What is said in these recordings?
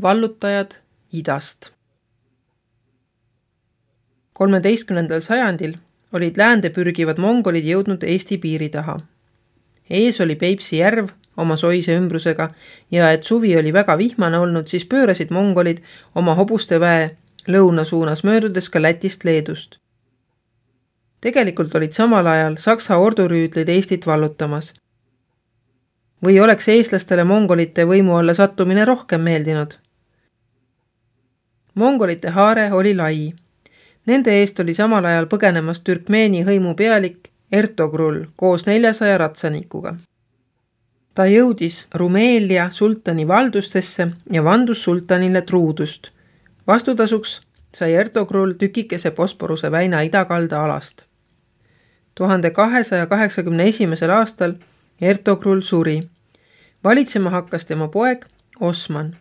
Vallutajad idast. 13. sajandil olid läände pürgivad mongolid jõudnud Eesti piiri taha. Ees oli Peipsi järv oma soise ümbrusega ja et suvi oli väga vihmane olnud, siis pöörasid mongolid oma hobuste väe lõuna suunas möödudes ka Lätist Leedust. Tegelikult olid samal ajal Saksa ordurüüdlid Eestit vallutamas. Või oleks eestlastele mongolite võimu alla sattumine rohkem meeldinud? Mongolite haare oli lai. Nende eest oli samal ajal põgenemas Türkmeeni hõimu pealik Ertogrull koos 400 ratsanikuga. Ta jõudis Rumeelia sultani valdustesse ja vandus sultanile truudust. Vastutasuks sai Ertogrull tükikese Bosporuse väina idakalda alast. 1281. aastal Ertogrull suri. Valitsema hakkas tema poeg Osman.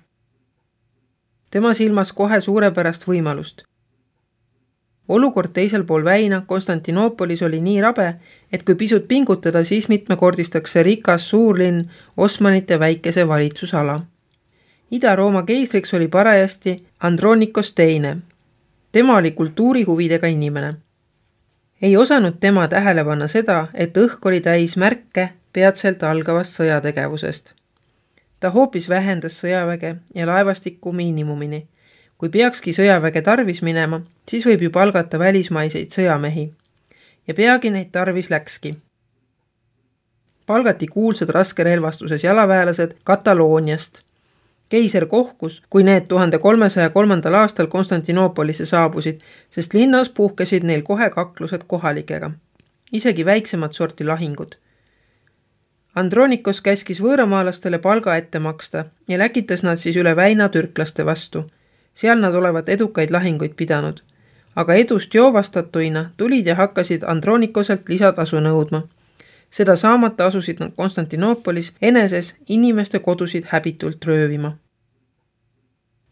Tema silmas kohe suurepärast võimalust. Olukord teisel pool väina Konstantinoopolis oli nii rabe, et kui pisut pingutada, siis mitmekordistaks see rikas suurlinn Osmanite väikese valitsusala. Ida-Rooma keisriks oli parajasti Andronikos II. Tema oli kultuurihuvidega inimene. Ei osanud tema tähele panna seda, et õhk oli täis märke peatselt algavast sõjategevusest. Ta hoopis vähendas sõjaväge ja laevastikku miinimumini. Kui peakski sõjaväge tarvis minema, siis võib ju palgata välismaiseid sõjamehi. Ja peagi neid tarvis läkski. Palgati kuulsad raskerelvastuses jalaväelased Katalooniast. Keiser kohkus, kui need 1303. aastal Konstantinoopolisse saabusid, sest linnas puhkesid neil kohe kaklused kohalikega. Isegi väiksemad sorti lahingud. Andronikos käskis võõramaalastele palga ette maksta ja läkitas nad siis üle väina türklaste vastu. Seal nad olevat edukaid lahinguid pidanud. Aga edust joovastatuina tulid ja hakkasid Andronikoselt lisatasu nõudma. Seda saamata asusid nad Konstantinoopolis eneses inimeste kodusid häbitult röövima.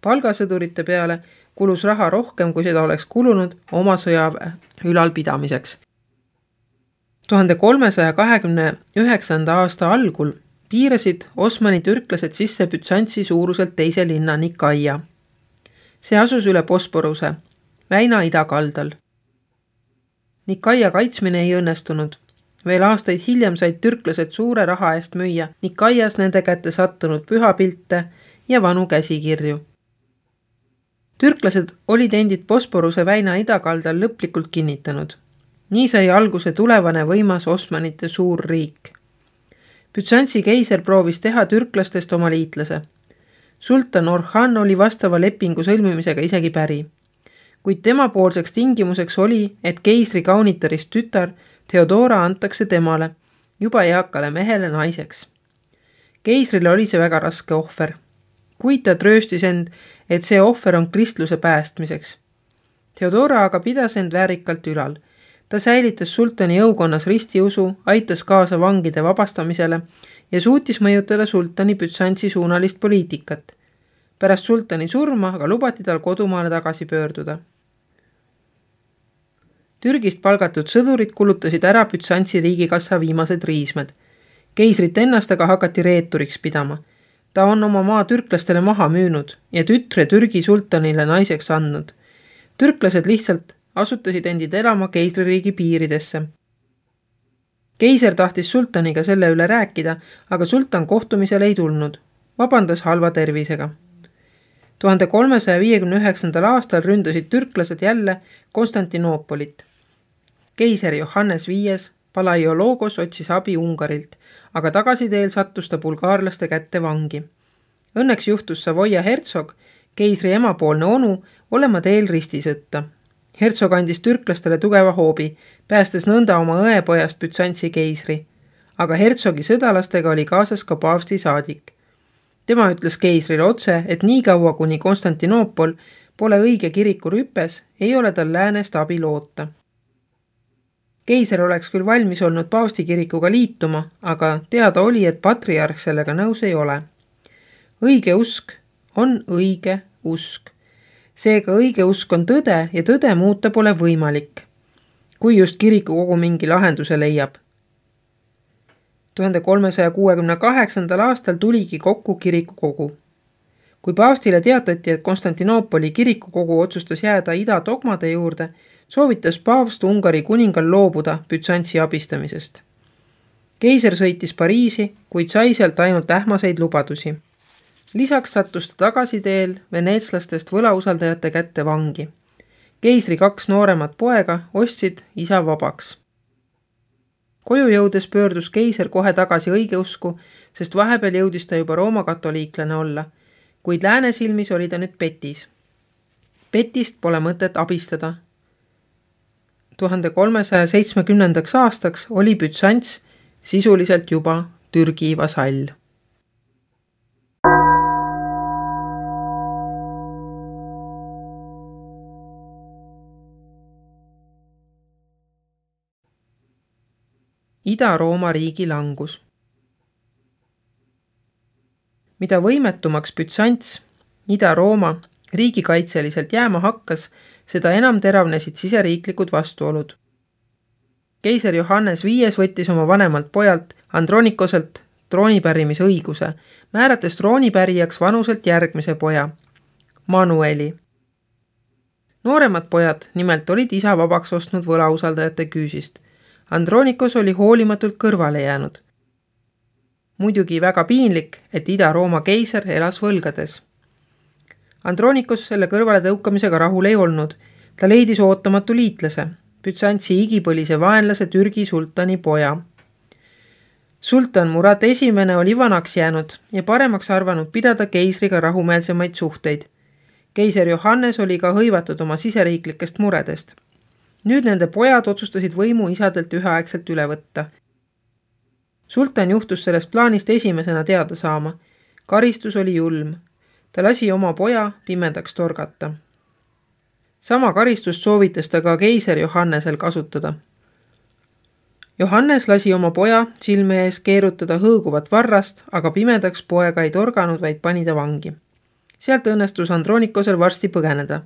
Palgasõdurite peale kulus raha rohkem, kui seda oleks kulunud oma sõjaväe ülalpidamiseks. 1329. aasta algul piirasid Osmani türklased sisse Bütsantsi suuruselt teise linna Nikaia. See asus üle Bosporuse, väina idakaldal. Nikaia kaitsmine ei õnnestunud. Veel aastaid hiljem said türklased suure raha eest müüa Nikaias nende kätte sattunud pühapilte ja vanu käsikirju. Türklased olid endid Bosporuse väina idakaldal lõplikult kinnitanud. Nii sai alguse tulevane võimas Osmanite suur riik. Bütsantsi keiser proovis teha türklastest oma liitlase. Sultan Orhan oli vastava lepingu sõlmimisega isegi päri. Kuid tema poolseks tingimuseks oli, et keisri kaunitarist tütar Theodora antakse temale, juba eakale mehele naiseks. Keisrile oli see väga raske ohver. Kuid ta trööstis end, et see ohver on kristluse päästmiseks. Theodora aga pidas end väärikalt ülal. Ta säilitas sultani jõukonnas ristiusu, aitas kaasa vangide vabastamisele ja suutis mõjutada sultani Bütsantsi suunalist poliitikat. Pärast sultani surma aga lubati tal kodumaale tagasi pöörduda. Türgist palgatud sõdurid kulutasid ära Bütsantsi riigikassa viimased riismed. Keisrit ennast aga hakati reeturiks pidama. Ta on oma maa türklastele maha müünud ja tütre Türgi sultanile naiseks andnud. Türklased lihtsalt asutasid endid elama keisririigi piiridesse. Keiser tahtis sultaniga selle üle rääkida, aga sultan kohtumisele ei tulnud. Vabandas halva tervisega. 1359. aastal ründasid türklased jälle Konstantinoopolit. Keiser Johannes V Palaiologos otsis abi Ungarilt, aga tagasiteel sattus ta bulgaarlaste kätte vangi. Õnneks juhtus Savoia hertsog, keisri emapoolne onu, olema teel ristisõtta. Hertsog andis türklastele tugeva hoobi, päästes nõnda oma õepojast Bütsantsi keisri. Aga hertsogi sõdalastega oli kaasas ka paavsti saadik. Tema ütles keisrile otse, et nii kaua kuni Konstantinoopol pole õige kiriku rüpes, ei ole tal läänest abi loota. Keiser oleks küll valmis olnud paavsti kirikuga liituma, aga teada oli, et patriarh sellega nõus ei ole. Õige usk on õige usk. Seega õige usk on tõde ja tõde muuta pole võimalik, kui just kirikukogu mingi lahenduse leiab. 1368. aastal tuligi kokku kirikukogu. Kui paavstile teatati, et Konstantinoopoli kirikukogu otsustas jääda ida dogmade juurde, soovitas paavst Ungari kuningal loobuda Bütsantsi abistamisest. Keiser sõitis Pariisi, kuid sai sealt ainult ähmaseid lubadusi. Lisaks sattus ta tagasiteel veneetslastest võlausaldajate kätte vangi. Keisri 2 nooremat poega ostsid isa vabaks. Koju jõudes pöördus keiser kohe tagasi õigeusku, sest vahepeal jõudis ta juba Rooma katoliiklane olla, kuid lääne silmis oli ta nüüd petis. Petist pole mõtet abistada. 1370. aastaks oli Bütsants sisuliselt juba Türgi vasall. Ida-Rooma riigi langus. Mida võimetumaks Bütsants, Ida-Rooma, riigikaitseliselt jääma hakkas, seda enam teravnesid siseriiklikud vastuolud. Keiser Johannes V võttis oma vanemalt pojalt Andronikoselt troonipärimise õiguse, määrates troonipärijaks vanuselt järgmise poja, Manueli. Nooremad pojad nimelt olid isa vabaks ostnud võlausaldajate küüsist. Andronikos oli hoolimatult kõrvale jäänud. Muidugi väga piinlik, et Ida-Rooma keiser elas võlgades. Andronikos selle kõrvale tõukamisega rahul ei olnud. Ta leidis ootamatu liitlase, Bütsantsi igipõlise vaenlase Türgi sultani poja. Sultan Murad I oli vanaks jäänud ja paremaks arvanud pidada keisriga rahumeelsemaid suhteid. Keiser Johannes oli ka hõivatud oma siseriiklikest muredest. Nüüd nende pojad otsustasid võimu isadelt üheaegselt üle võtta. Sultan juhtus sellest plaanist esimesena teada saama. Karistus oli julm. Ta lasi oma poja pimedaks torgata. Sama karistust soovitas ta ka keiser Johannesel kasutada. Johannes lasi oma poja silme ees keerutada hõõguvat varrast, aga pimedaks poega ei torganud, vaid pani ta vangi. Sealt õnnestus Andronikosel varsti põgeneda.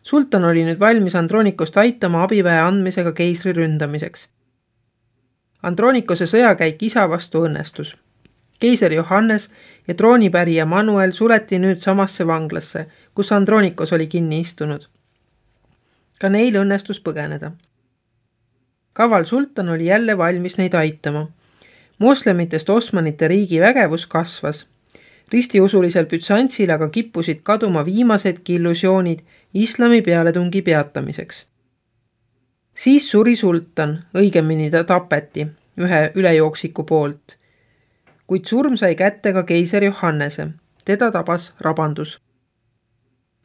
Sultan oli nüüd valmis Andronikost aitama abiväe andmisega keisri ründamiseks. Andronikose sõjakäik isa vastu õnnestus. Keiser Johannes ja troonipärija Manuel suleti nüüd samasse vanglasse, kus Andronikos oli kinni istunud. Ka neil õnnestus põgeneda. Kaval sultan oli jälle valmis neid aitama. Moslemitest Osmanite riigi vägevus kasvas. Ristiusulisel Bütsantsil aga kippusid kaduma viimasedki illusioonid islami pealetungi peatamiseks. Siis suri sultan, õigemini ta tapeti ühe ülejooksiku poolt. Kuid surm sai kätte ka keiser Johannese. Teda tabas rabandus.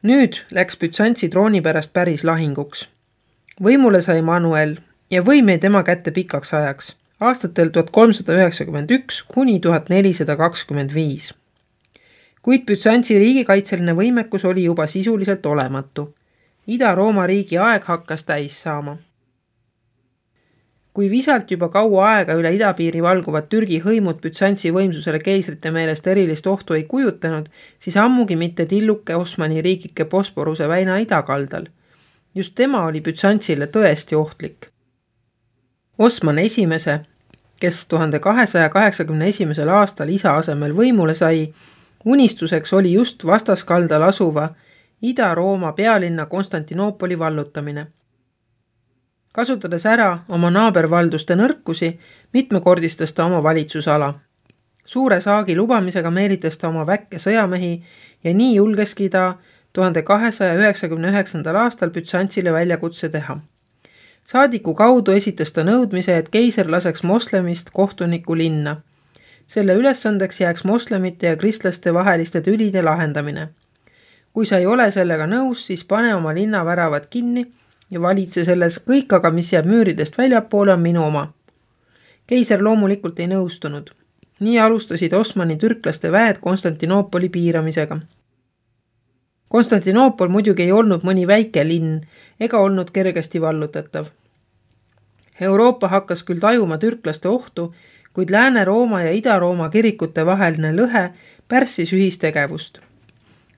Nüüd läks Bütsantsi trooni pärast päris lahinguks. Võimule sai Manuel ja võim jäi tema kätte pikaks ajaks, aastatel 1391 kuni 1425. Kuid Bütsantsi riigikaitseline võimekus oli juba sisuliselt olematu. Ida-Rooma riigi aeg hakkas täis saama. Kui visalt juba kaua aega üle idapiiri valguvad Türgi hõimud Bütsantsi võimsusele keisrite meelest erilist ohtu ei kujutanud, siis ammugi mitte tilluke Osmani riigike Bosporuse väina idakaldal. Just tema oli Bütsantsile tõesti ohtlik. Osman I, kes 1281. aastal isa asemel võimule sai, unistuseks oli just vastaskaldal asuva Ida-Rooma pealinna Konstantinoopoli vallutamine. Kasutades ära oma naabervalduste nõrkusi, mitmekordistas ta oma valitsusala. Suure saagi lubamisega meelitas ta oma väkke sõjamehi ja nii julgeski ta 1299. aastal Bütsantsile väljakutse teha. Saadiku kaudu esitas ta nõudmise, et keiser laseks moslemist kohtuniku linna. Selle ülesandeks jääks moslemite ja kristlaste vaheliste tülide lahendamine. Kui sa ei ole sellega nõus, siis pane oma linna väravad kinni ja valitse selles, kõik aga, mis jääb müüridest väljapoole, on minu oma. Keiser loomulikult ei nõustunud. Nii alustasid Osmani türklaste väed Konstantinoopoli piiramisega. Konstantinoopol muidugi ei olnud mõni väike linn ega olnud kergesti vallutatav. Euroopa hakkas küll tajuma türklaste ohtu, kuid Lääne-Rooma ja Ida-Rooma kirikute vaheline lõhe pärssis ühistegevust.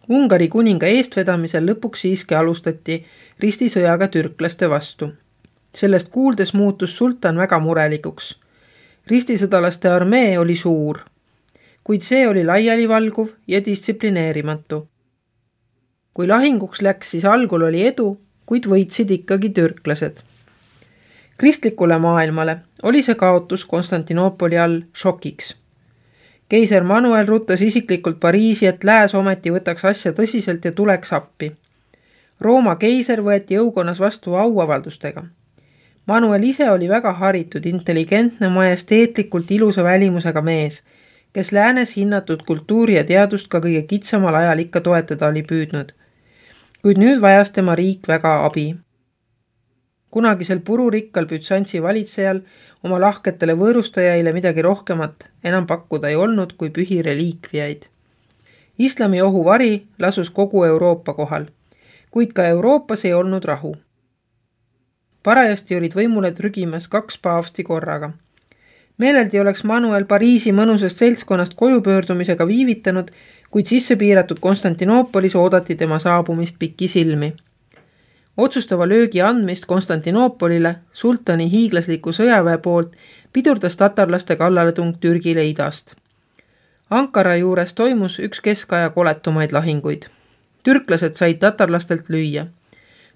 Ungari kuninga eestvedamisel lõpuks siiski alustati ristisõjaga türklaste vastu. Sellest kuuldes muutus sultan väga murelikuks. Ristisõdalaste armee oli suur. kuid see oli laialivalguv ja distsiplineerimatu. Kui lahinguks läks, siis algul oli edu, kuid võitsid ikkagi türklased. Kristlikule maailmale oli see kaotus Konstantinoopoli all šokiks. Keiser Manuel ruttas isiklikult Pariisi, et lääs ometi võtaks asja tõsiselt ja tuleks appi. Rooma keiser võeti jõukonnas vastu auavaldustega. Manuel ise oli väga haritud, intelligentne, majesteetlikult ilusa välimusega mees, kes läänes hinnatud kultuuri ja teadust ka kõige kitsamal ajal ikka toetada oli püüdnud. Kuid nüüd vajas tema riik väga abi. Kunagisel pururikkal Bütsantsi valitsejal oma lahketele võõrustajaile midagi rohkemat enam pakkuda ei olnud kui pühi reliikviaid. Islami ohuvari lasus kogu Euroopa kohal, kuid ka Euroopas ei olnud rahu. Parajasti olid võimule trügimas 2 paavsti korraga. Meeleldi oleks Manuel Pariisi mõnusast seltskonnast koju pöördumisega viivitanud, kuid sisse piiratud Konstantinoopolis oodati tema saabumist pikki silmi. Otsustava löögi andmist Konstantinoopolile sultani hiiglasliku sõjaväe poolt pidurdas tatarlaste kallaletung Türgile idast. Ankara juures toimus üks keskaja koletumaid lahinguid. Türklased said tatarlastelt lüüa.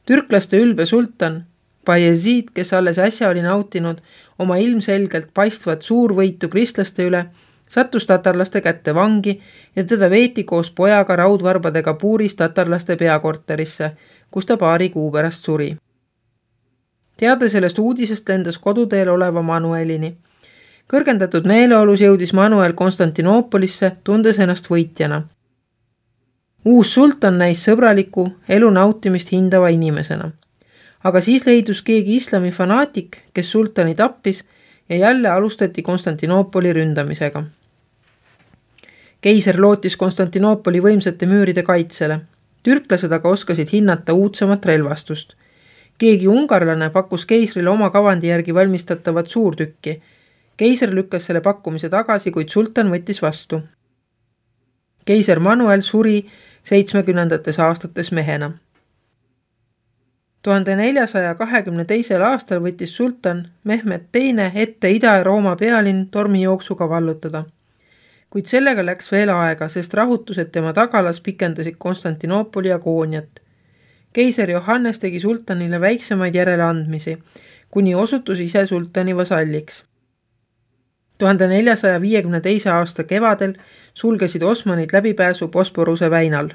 Türklaste ülbe sultan Bayezid, kes alles äsja oli nautinud oma ilmselgelt paistvat suurvõitu kristlaste üle, sattus tatarlaste kätte vangi ja teda veeti koos pojaga raudvarbadega puuris tatarlaste peakorterisse, kus ta paari kuu pärast suri. Teade sellest uudisest lendas koduteel oleva Manuelini. Kõrgendatud meeleolus jõudis Manuel Konstantinoopolisse, tundes ennast võitjana. Uus sultan näis sõbraliku, elu nautimist hindava inimesena. Aga siis leidus keegi islami fanaatik, kes sultani tappis ja jälle alustati Konstantinoopoli ründamisega. Keiser lootis Konstantinoopoli võimsate müüride kaitsele. Türklased aga oskasid hinnata uudsemat relvastust. Keegi ungarlane pakkus keisrile oma kavandi järgi valmistatavat suurtükki. Keiser lükkas selle pakkumise tagasi, kuid sultan võttis vastu. Keiser Manuel suri 70. aastates mehena. 1422. aastal võttis sultan Mehmed II ette Ida-Rooma pealinn tormijooksuga vallutada. Kuid sellega läks veel aega, sest rahutused tema tagalas pikendasid Konstantinoopoli agooniat. Keiser Johannes tegi sultanile väiksemaid järeleandmisi, kuni osutus ise sultani vasalliks. 1452. aasta kevadel sulgesid osmanid läbipääsu Bosporuse väinal.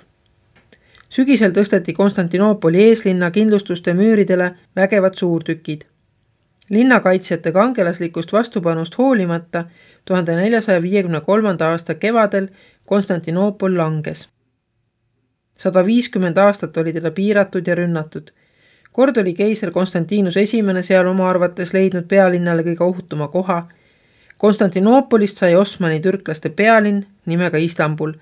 Sügisel tõsteti Konstantinoopoli eeslinna kindlustuste müüridele vägevad suurtükid. Linnakaitsjate kangelaslikust vastupanust hoolimata 1453. aasta kevadel Konstantinoopol langes. 150 aastat oli teda piiratud ja rünnatud. Kord oli keiser Konstantinus I seal oma arvates leidnud pealinnale kõige ohutuma koha. Konstantinoopolist sai Osmani türklaste pealinn nimega Istanbul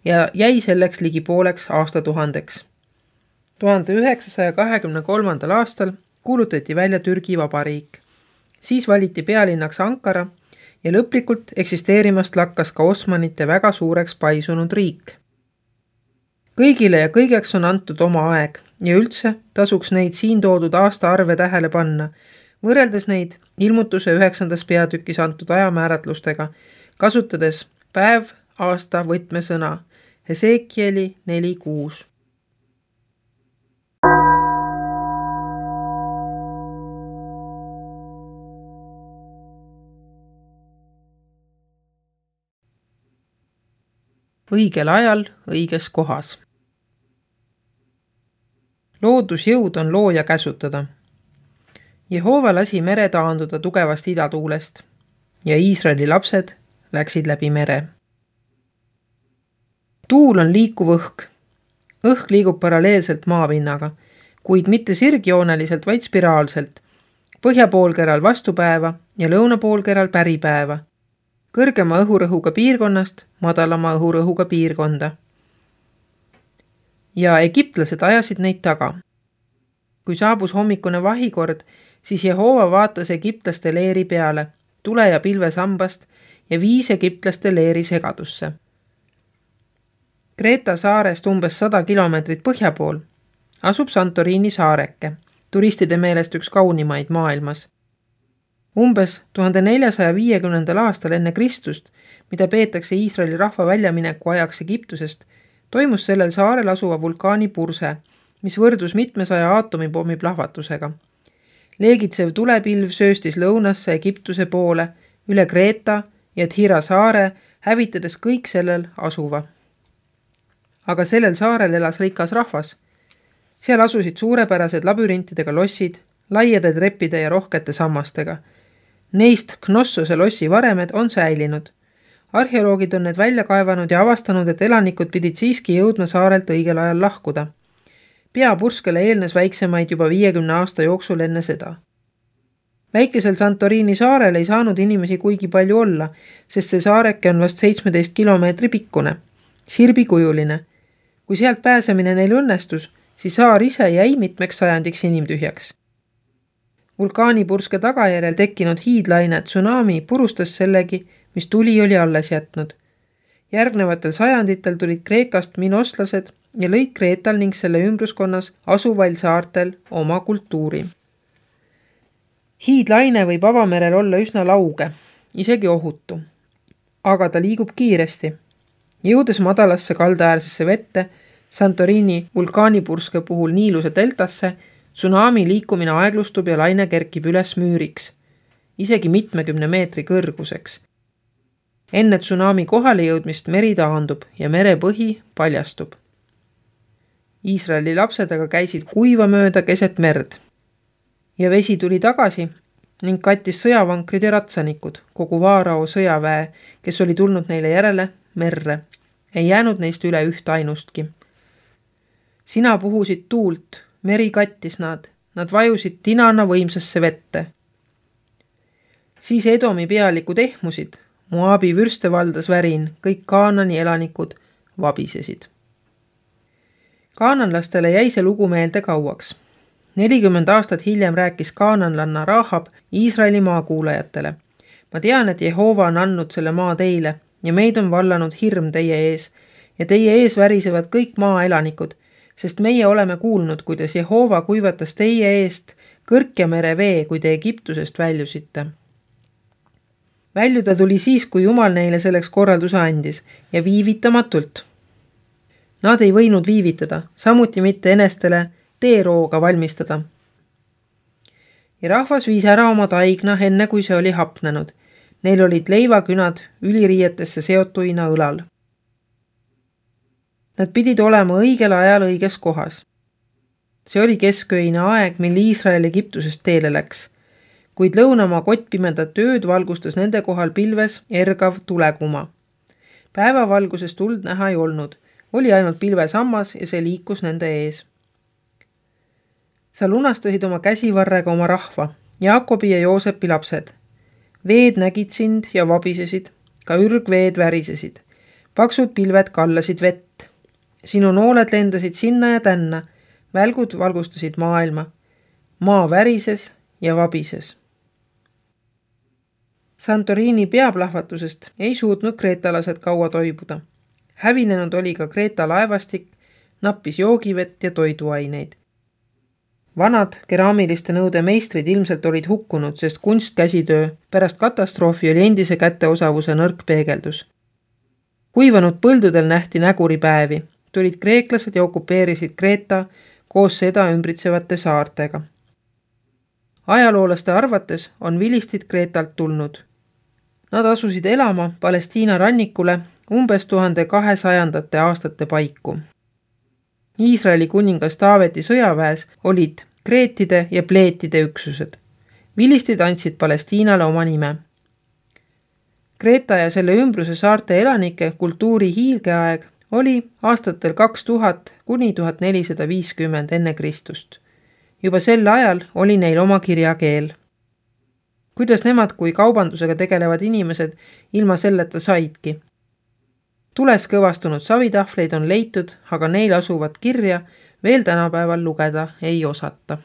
ja jäi selleks ligi pooleks aastatuhandeks. 1923. aastal kuulutati välja Türgi vabariik. Siis valiti pealinnaks Ankara ja lõplikult eksisteerimast lakkas ka osmanite väga suureks paisunud riik. Kõigile ja kõigeks on antud oma aeg ja üldse tasuks neid siin toodud aastaarve tähele panna, võrreldes neid ilmutuse 9. peatükis antud ajamääratlustega, kasutades päev, aasta võtmesõna Hesekieli 4.6. Õigel ajal, õiges kohas. Loodusjõud on looja käsutada. Jehova lasi mere taanduda tugevast idatuulest ja Iisraeli lapsed läksid läbi mere. Tuul on liikuv õhk. Õhk liigub paralleelselt maapinnaga, kuid mitte sirgjooneliselt, vaid spiraalselt. Põhjapoolkeral vastupäeva ja lõunapoolkeral päripäeva. Kõrgema õhurõhuga piirkonnast madalama õhurõhuga piirkonda. Ja egiptlased ajasid neid taga. Kui saabus hommikune vahikord, siis Jehova vaatas egiptlaste leeri peale, tule ja pilve sambast ja viis egiptlaste leeri segadusse. Kreeta saarest umbes 100 kilomeetrit põhja pool asub Santorini saareke, turistide meelest üks kaunimaid maailmas. Umbes 1450. aastal enne Kristust mida peetakse Iisraeli rahva väljamineku ajaks Egiptusest, toimus sellel saarel asuva vulkaani purse, mis võrdus mitmesaja aatomipommi plahvatusega. Leegitsev tulepilv sööstis lõunasse Egiptuse poole, üle Kreeta ja Thira saare, hävitades kõik sellel asuva. Aga sellel saarel elas rikas rahvas. Seal asusid suurepärased labürintidega lossid, laiade treppide ja rohkete sammastega. Neist Knossose lossi varemed on säilinud. Arheoloogid on need välja kaevanud ja avastanud, et elanikud pidid siiski jõudma saarelt õigel ajal lahkuda. Peapurskele eelnes väiksemaid juba 50 aasta jooksul enne seda. Väikesel Santorini saarel ei saanud inimesi kuigi palju olla, sest see saareke on vast 17 kilomeetri pikkune, sirbikujuline. Kui sealt pääsemine neil õnnestus, siis saar ise jäi mitmeks sajandiks inimtühjaks. Vulkaanipurske tagajärjel tekkinud hiidlaine tsunami purustas sellegi, mis tuli oli alles jätnud. Järgnevatel sajanditel tulid Kreekast minoslased ja lõid Kreetal ning selle ümbruskonnas asuvail saartel oma kultuuri. Hiidlaine võib avamerel olla üsna lauge, isegi ohutu, aga ta liigub kiiresti. Jõudes madalasse kaldaäärsesse vette, Santorini vulkaanipurske puhul Niiluse deltasse, tsunami liikumine aeglustub ja laine kerkib üles müüriks, isegi mitmekümne meetri kõrguseks. Enne tsunami kohale jõudmist meri taandub ja merepõhi paljastub. Iisraeli lapsed aga käisid kuiva mööda keset merd ja vesi tuli tagasi ning kattis sõjavankrid ja ratsanikud, kogu Vaarao sõjaväe, kes oli tulnud neile järele merre. Ei jäänud neist üle üht ainustki. Sina puhusid tuult, meri kattis nad vajusid tinana võimsasse vette. Siis Edomi pealikud ehmusid, Moabi vürste valdas värin, kõik Kaanani elanikud vabisesid. Kaananlastele jäi see lugu meelde kauaks. 40 aastat hiljem rääkis kaananlanna Rahab Iisraeli maakuulajatele. Ma tean, et Jehova on andnud selle maa teile ja meid on vallanud hirm teie ees ja teie ees värisevad kõik maaelanikud, sest meie oleme kuulnud, kuidas Jehova kuivatas teie eest Kõrkjamere vee, kui te Egiptusest väljusite. Väljuda tuli siis, kui Jumal neile selleks korralduse andis ja viivitamatult. Nad ei võinud viivitada, samuti mitte enestele teerooga valmistada. Ja rahvas viis ära oma taigna enne, kui see oli hapnenud. Neil olid leivakünad üliriietesse seotuina õlal. Nad pidid olema õigel ajal õiges kohas. See oli kesköine aeg, mil Iisrael Egiptusest teele läks, kuid lõunamaa kottpimedat ööd valgustas nende kohal pilves ergav tulekuma. Päevavalguses tuld näha ei olnud, oli ainult pilvesammas ja see liikus nende ees. Sa lunastasid oma käsivarrega oma rahva, Jaakobi ja Joosepi lapsed. Veed nägid sind ja vabisesid, ka ürgveed värisesid. Paksud pilved kallasid vett. Sinu nooled lendasid sinna ja tänna, välgud valgustasid maailma. Maa värises ja vabises. Santorini peaplahvatusest ei suutnud kreetalased kaua toibuda. Hävinenud oli ka Kreeta laevastik, nappis joogivett ja toiduaineid. Vanad keraamiliste nõude meistrid ilmselt olid hukkunud, sest kunstkäsitöö pärast katastroofi oli endise käteosavuse nõrk peegeldus. Kuivanud põldudel nähti näguripäevi, tulid kreeklased ja okupeerisid Kreeta koos seda ümbritsevate saartega. Ajaloolaste arvates on vilistid Kreetalt tulnud. Nad asusid elama Palestiina rannikule umbes 1200 aastate paiku. Iisraeli kuningas Taaveti sõjaväes olid kreetide ja pleetide üksused. Vilistid andsid Palestiinale oma nime. Kreeta ja selle ümbruse saarte elanike kultuuri hiilgeaeg oli aastatel 2000 kuni 1450 enne Kristust. Juba sel ajal oli neil oma kirjakeel. Kuidas nemad kui kaubandusega tegelevad inimesed ilma selleta saidki? Tules kõvastunud savitahvleid on leitud, aga neil asuvat kirja veel tänapäeval lugeda ei osata.